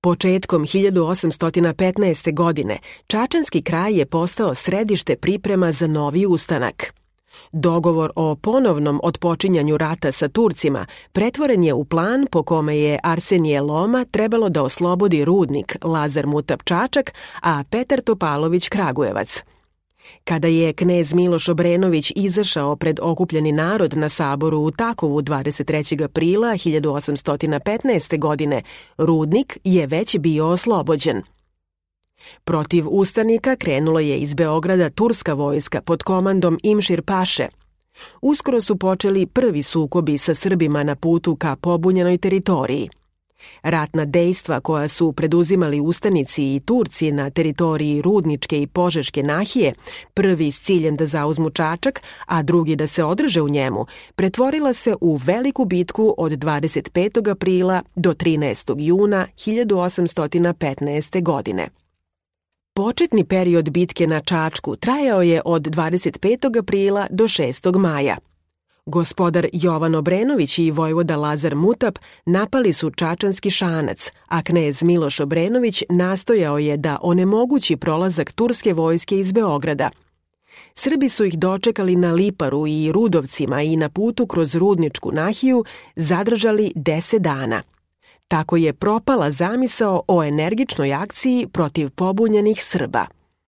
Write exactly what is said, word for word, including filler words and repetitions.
Početkom hiljadu osamsto petnaeste. godine čačanski kraj je postao središte priprema za novi ustanak. Dogovor o ponovnom otpočinjanju rata sa Turcima pretvoren je u plan po kome je Arsenije Loma trebalo da oslobodi rudnik Lazar Mutap Čačak, a Petar Topalović Kragujevac. Kada je knez Miloš Obrenović izašao pred okupljeni narod na saboru u Takovu dvadeset trećeg aprila hiljadu osamsto petnaeste. godine, rudnik je već bio oslobođen. Protiv ustanika krenula je iz Beograda turska vojska pod komandom Imšir Paše. Uskoro su počeli prvi sukobi sa Srbima na putu ka pobunjenoj teritoriji. Ratna dejstva koja su preduzimali ustanici i Turci na teritoriji Rudničke i Požeške nahije, prvi s ciljem da zauzmu Čačak, a drugi da se održe u njemu, pretvorila se u veliku bitku od dvadeset petog aprila do trinaestog juna hiljadu osamsto petnaeste. godine. Početni period bitke na Čačku trajao je od dvadeset petog aprila do šestog maja. Gospodar Jovan Obrenović i vojvoda Lazar Mutap napali su Čačanski Šanac, a knez Miloš Obrenović nastojao je da onemogući prolazak turske vojske iz Beograda. Srbi su ih dočekali na Liparu i Rudovcima i na putu kroz Rudničku nahiju zadržali deset dana. Tako je propala zamisao o energičnoj akciji protiv pobunjenih Srba.